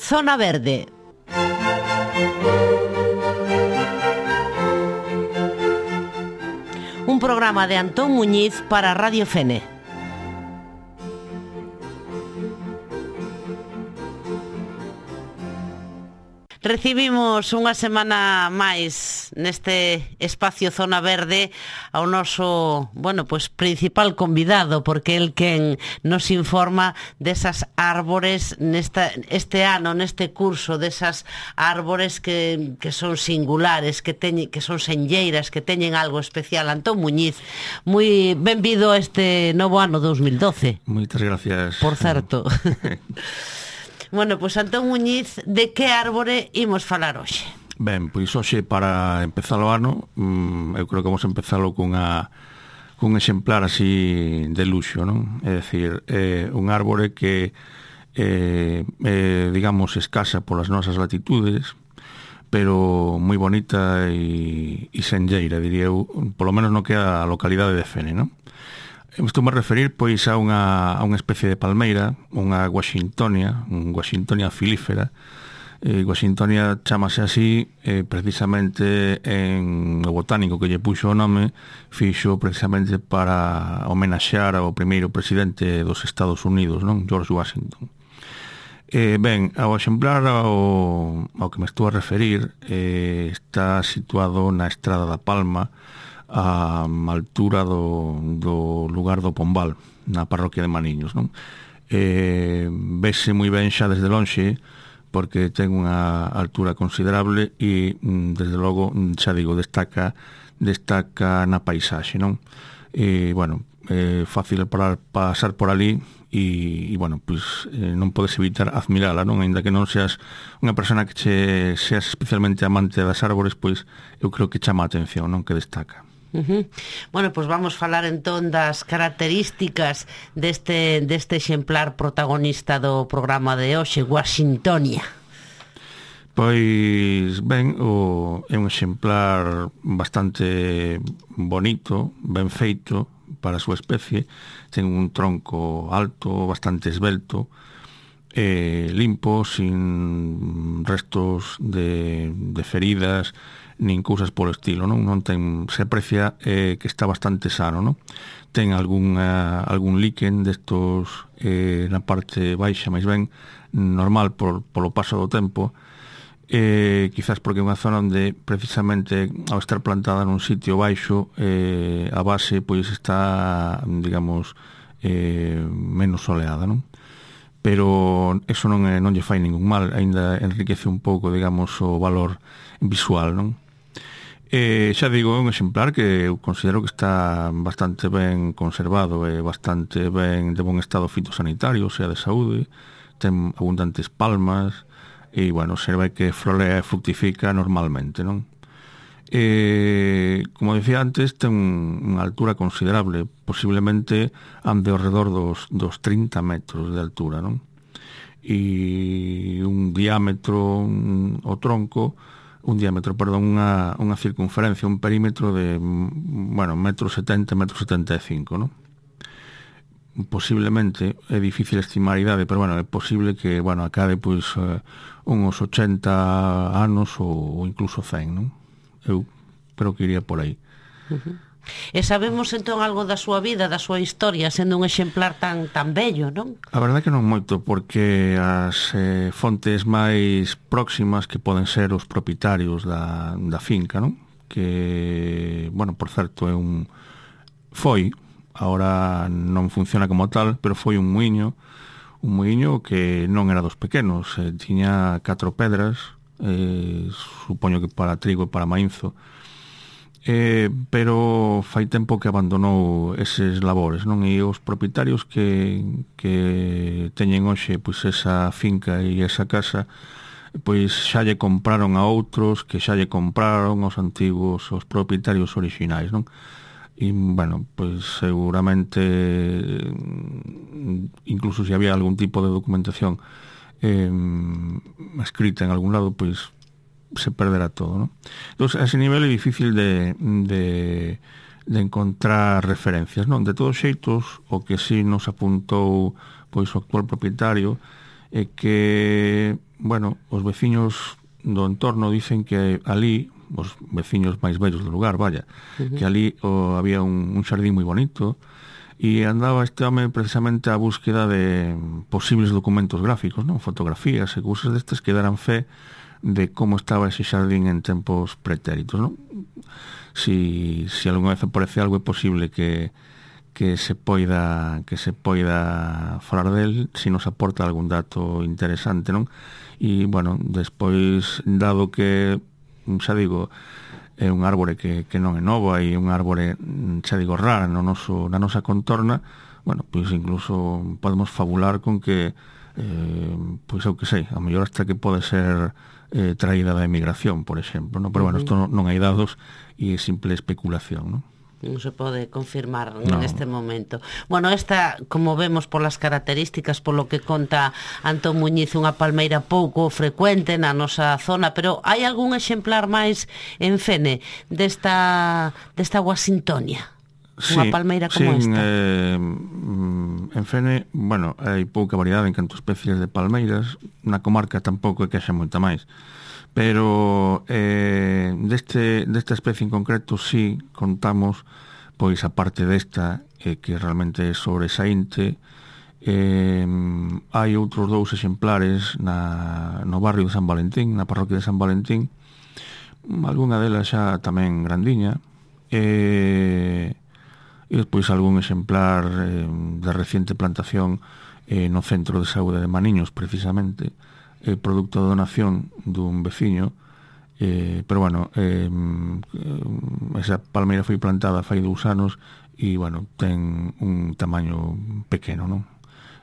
Zona Verde. Un programa de Antón Muñiz para Radio Fene. Recibimos unha semana máis neste espacio Zona Verde ao noso, principal convidado, porque el quen nos informa desas árbores este ano, neste curso, desas árbores que son singulares, que son senlleiras, que teñen algo especial. Antón Muñiz, moi benvido a este novo ano 2012. Moitas gracias. Por certo. Bueno, pois Antón Muñiz, de que árbore imos falar hoxe? Ben, pois hoxe, para empezar o ano, eu creo que vamos a empezalo cun exemplar así de luxo, non? É dicir, un árbore que digamos, escasa polas nosas latitudes, pero moi bonita e senlleira, diría eu, polo menos no que a localidade de Fene, non? Estou a referir pois a unha especie de palmeira, unha Washingtonia filífera. Washingtonia chamase así precisamente en o botánico que lle puxo o nome, fixo precisamente para homenaxear ao primeiro presidente dos Estados Unidos, non? George Washington. Ben, ao exemplar ao que me estou a referir, está situado na Estrada da Palma, a altura do lugar do Pombal, na parroquia de Maniños, non? Vese moi ben xa desde lonxe, porque ten unha altura considerable e, desde logo, xa digo, destaca na paisaxe, non? Fácil para pasar por ali e non podes evitar admirala, non? Ainda que non seas unha persona que seas especialmente amante das árbores, pois eu creo que chama a atención, non? Que destaca. Bueno, pois vamos falar entón das características deste exemplar protagonista do programa de hoxe, Washingtonia. Pois ben, é un exemplar bastante bonito, ben feito para a súa especie. Ten un tronco alto, bastante esvelto, limpo, sin restos de feridas nin cousas polo estilo, non ten, se aprecia que está bastante sano, non? Ten algún líquen destos na parte baixa, máis ben normal polo paso do tempo, quizás porque é unha zona onde precisamente ao estar plantada nun sitio baixo, a base pois está, digamos, menos soleada, non? Pero eso non lle fai ningún mal, aínda enriquece un pouco, digamos, o valor visual, non? Xa digo, é un exemplar que eu considero que está bastante ben conservado e bastante ben de bon estado fitosanitario, o sea, de saúde. Ten abundantes palmas e, serve que florea e fructifica normalmente, non? Como decía antes, ten unha altura considerable, posiblemente ande ao redor dos 30 metros de altura, non? E un diámetro, unha circunferencia, un perímetro de, metro 70, metro 75, non? Posiblemente, é difícil estimar a idade, pero, é posible que, acabe, pois, uns 80 anos ou incluso 100, non? Eu creo que iría por aí. E sabemos entón algo da súa vida, da súa historia, sendo un exemplar tan bello, non? A verdade que non moito, porque as fontes máis próximas que poden ser os propietarios da finca, non? Que, por certo, foi, agora non funciona como tal, pero foi un muiño que non era dos pequenos, tiña 4 pedras, supoño que para trigo e para maínzo, pero fai tempo que abandonou eses labores, non? E os propietarios que teñen hoxe pois esa finca e esa casa, pois xa lle compraron a outros que xa lle compraron os antigos, os propietarios orixinais, non? E, pois seguramente incluso se había algún tipo de documentación escrita en algún lado, pois se perderá todo, non? Entón, a ese nivel é difícil de encontrar referencias, non? De todos xeitos, o que sí nos apuntou pois o actual propietario é que bueno, os veciños do entorno dicen que ali, os veciños máis vellos do lugar, vaya, que ali había un xardín moi bonito, e andaba este home precisamente á búsqueda de posibles documentos gráficos, non? Fotografías e cousas destes que daran fe de como estaba ese xardín en tempos pretéritos, non? Si algunha vez aparece algo, é posible que se poida falar del, se nos aporta algún dato interesante, non? E, bueno, despois, dado que, xa digo, é un árbore que non é novo, e un árbore, xa digo, rara na nosa contorna, bueno, pois incluso podemos fabular con que, pois eu que sei, a mellor hasta que pode ser traída da emigración, por exemplo, non? Pero, bueno, isto non hai dados e é simple especulación, non? Non se pode confirmar neste momento. Bueno, esta, como vemos polas características, polo que conta Antón Muñiz, unha palmeira pouco frecuente na nosa zona, pero hai algún exemplar máis en Fene desta Washingtonia? Unha palmeira como esta? En Fene, bueno, hai pouca variedade en canto a especies de palmeiras. Na comarca tampouco é que haxa moita máis. Pero desta especie en concreto sí contamos, pois a parte desta que realmente é sobresaínte, hai outros 2 exemplares no barrio de San Valentín, na parroquia de San Valentín, algunha delas xa tamén grandiña, e despois algún exemplar de reciente plantación no Centro de Saúde de Maniños, precisamente, producto da donación dun veciño, pero, bueno, esa palmeira foi plantada fai 2 anos e, bueno, ten un tamaño pequeno, non?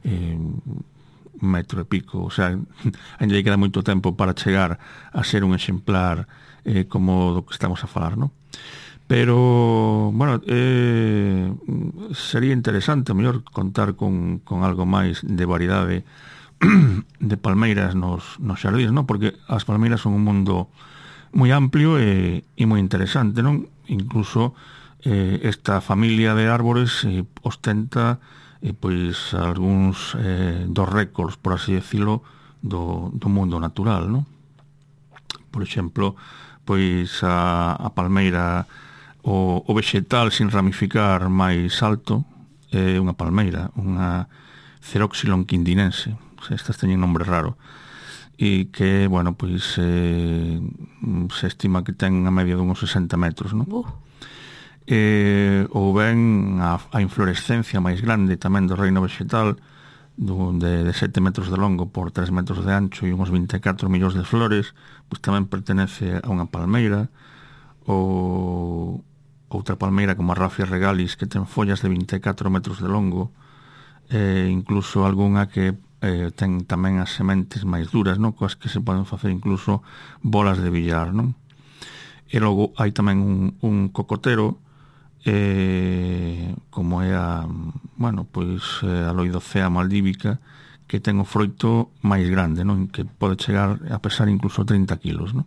1,5 metro, o sea, ainda lle queda moito tempo para chegar a ser un exemplar como do que estamos a falar, non? Pero, bueno, sería interesante, a mellor, contar con algo máis de variedade de palmeiras nos xardíns, non? Porque as palmeiras son un mundo moi amplio e moi interesante, non? Incluso esta familia de árbores ostenta pois algúns dos récords, por así decirlo, do mundo natural, non? Por exemplo, pois a palmeira, o vegetal sin ramificar máis alto é unha palmeira, unha Ceroxylon quindinense. Estas teñen nombre raro, e que, bueno, pois se estima que ten a media de uns 60 metros, non? Ou ben a inflorescencia máis grande tamén do reino vegetal, de 7 metros de longo por 3 metros de ancho e uns 24 millóns de flores, pois tamén pertenece a unha palmeira. Ou outra palmeira como a Raffia regalis, que ten follas de 24 metros de longo, incluso algunha que ten tamén as sementes máis duras, non? Coas que se poden facer incluso bolas de billar, non? E logo hai tamén un cocotero, como é a Loidocea maldívica, que ten o froito máis grande, non? Que pode chegar a pesar incluso 30 kilos, non?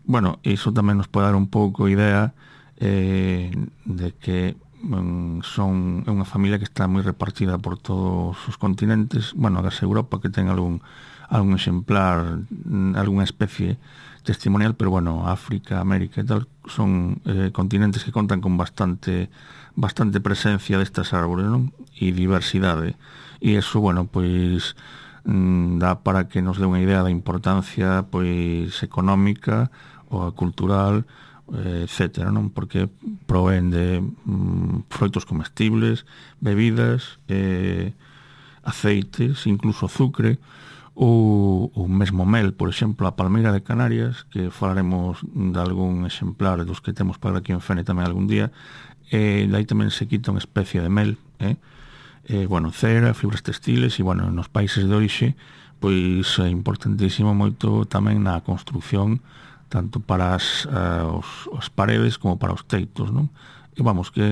Bueno, iso tamén nos pode dar un pouco idea de que é unha familia que está moi repartida por todos os continentes. Bueno, agás Europa, que ten algún exemplar, algunha especie testimonial, pero, bueno, África, América e tal, son continentes que contan con bastante presencia destas árbores, non? E diversidade. E iso, bueno, pois dá para que nos dé unha idea da importancia, pois, económica ou cultural, etcétera, non? Porque provén de froitos comestibles, bebidas, aceites, incluso azucre, ou mesmo mel. Por exemplo, a palmeira de Canarias, que falaremos de algún exemplar dos que temos para aquí en Fene tamén algún día, dai tamén se quita unha especie de mel, bueno, cera, fibras textiles, e, bueno, nos países de orixe, pois é importantísimo moito tamén na construcción, tanto para as paredes como para os teitos, non? E vamos, que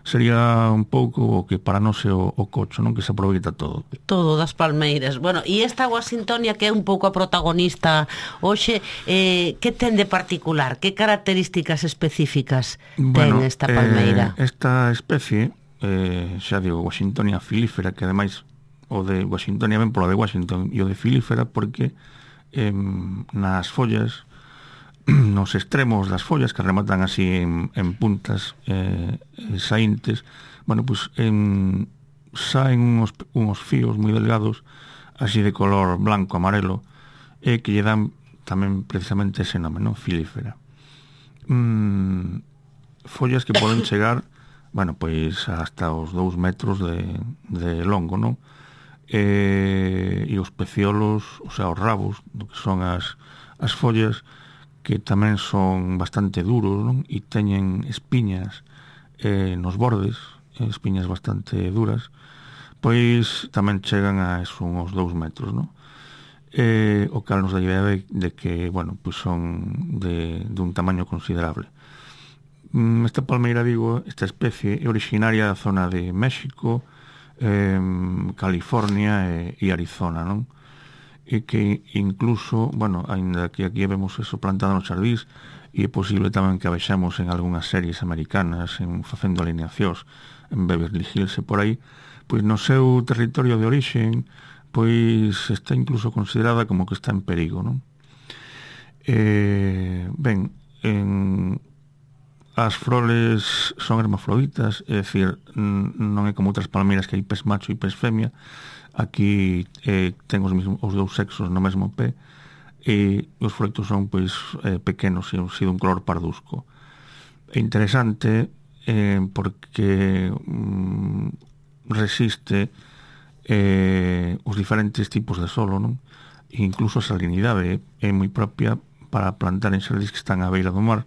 sería un pouco o que para nós é o cocho, non? Que se aproveita todo. Todo das palmeiras. Bueno, e esta Washingtonia, que é un pouco a protagonista hoxe, que ten de particular? Que características específicas ten esta palmeira? Esta especie, xa digo, Washingtonia filífera, que ademais o de Washingtonia ben polo de Washington e o de filífera porque nas follas, nos extremos das follas que rematan así en puntas saíntes, bueno, pues saen unos fíos moi delgados así de color blanco, amarelo, que lle dan tamén precisamente ese nome, non? Filífera. Follas que poden chegar, bueno, pois hasta os 2 metros de longo, non? E os peciolos, o sea, os rabos, do que son as follas, que tamén son bastante duros, non? E teñen espiñas nos bordes, espiñas bastante duras, pois tamén chegan a uns 2 metros, non? O cal nos dá idea de que, bueno, pois son de un tamaño considerable. Esta palmeira, digo, esta especie é originaria da zona de México, California e Arizona, non? E que incluso, bueno, ainda que aquí vemos eso plantado nos xardís, e é posible tamén que a vexamos en algunhas series americanas facendo alineacións en Beverly Hills e por aí, pois no seu territorio de orixen pois está incluso considerada como que está en perigo, non? Ben, as froles son hermafroditas, é dicir, non é como outras palmeiras que hai pés macho e pés femia. Aquí ten os 2 sexos no mesmo pé e os froitos son pois pequenos e un color pardusco. É interesante porque resiste os diferentes tipos de solo, non? E incluso a salinidade é moi propia para plantar en xardís que están á beira do mar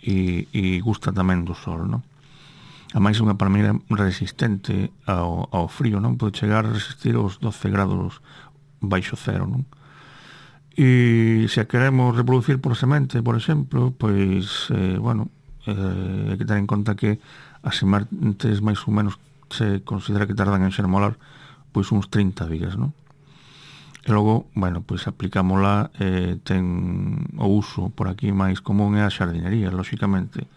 e gusta tamén do sol, non? A máis unha palmeira resistente ao frío, non? Pode chegar a resistir os 12 grados baixo cero, non? E se a queremos reproducir por semente, por exemplo, pois, bueno, hai que ter en conta que as sementes máis ou menos se considera que tardan en xermolar pois uns 30 días, non? E logo, bueno, pois aplicámola, ten o uso por aquí máis común é a xardinería, lóxicamente,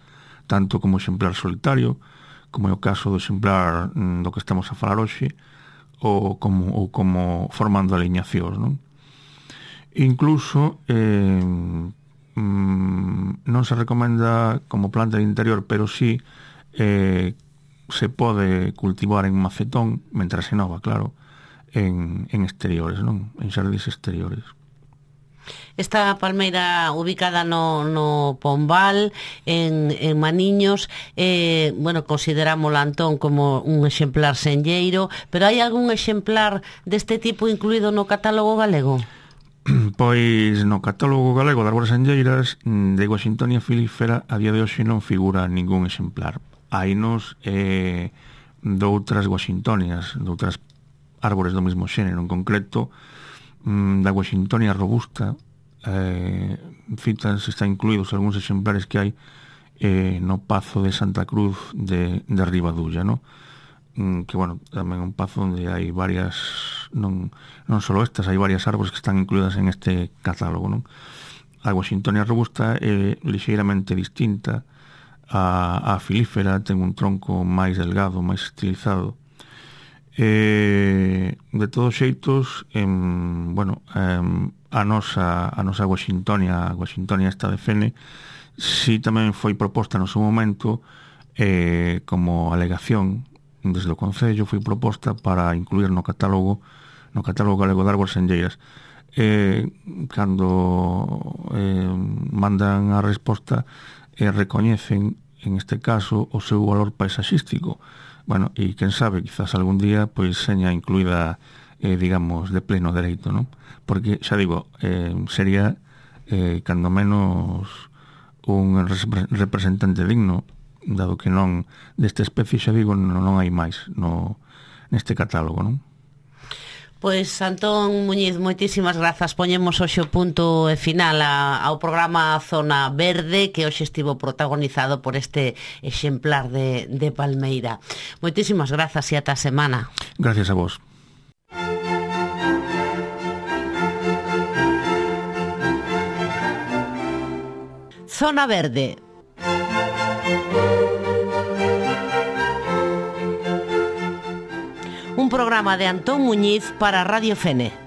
tanto como exemplar solitario, como é o caso do exemplar do que estamos a falar hoxe, ou como formando aliñacións, non? Incluso non se recomenda como planta de interior, pero sí se pode cultivar en macetón, mentras se nova, claro, en exteriores, non? En xardís exteriores. Esta palmeira ubicada no Pombal, en Maniños, bueno, considerámola, Antón, como un exemplar senlleiro, pero hai algún exemplar deste tipo incluído no catálogo galego? Pois no catálogo galego de árbores senlleiras de Washingtonia filífera a día de hoxe non figura ningún exemplar. Hainos de outras Washingtonias, de outras árbores do mesmo xénero, en concreto da Washingtonia robusta, citas, está incluídos algúns exemplares que hai no Pazo de Santa Cruz de Ribadulla, no? Que, bueno, tamén un pazo onde hai varias, non só estas, hai varias árbores que están incluídas en este catálogo, non? A Washingtonia robusta é lixeiramente distinta a filífera, ten un tronco máis delgado, máis estilizado. De todos xeitos, bueno, a nosa Washingtonia esta de Fene, si tamén foi proposta no seu momento como alegación desde o Concello, foi proposta para incluir no catálogo galego de árbores senlleiras. Cando mandan a resposta, recoñecen en este caso o seu valor paisaxístico. Bueno, e quen sabe, quizás algún día pois seña incluída, digamos, de pleno dereito, non? Porque, xa digo, sería cando menos un representante digno, dado que non desta especie, xa digo, non hai máis neste catálogo, non? Pois, Antón Muñiz, moitísimas grazas. Poñemos hoxe o punto final ao programa Zona Verde, que hoxe estivo protagonizado por este exemplar de palmeira. Moitísimas grazas e ata a semana. Gracias a vos. Zona Verde. un programa de Antón Muñiz para Radio Fene.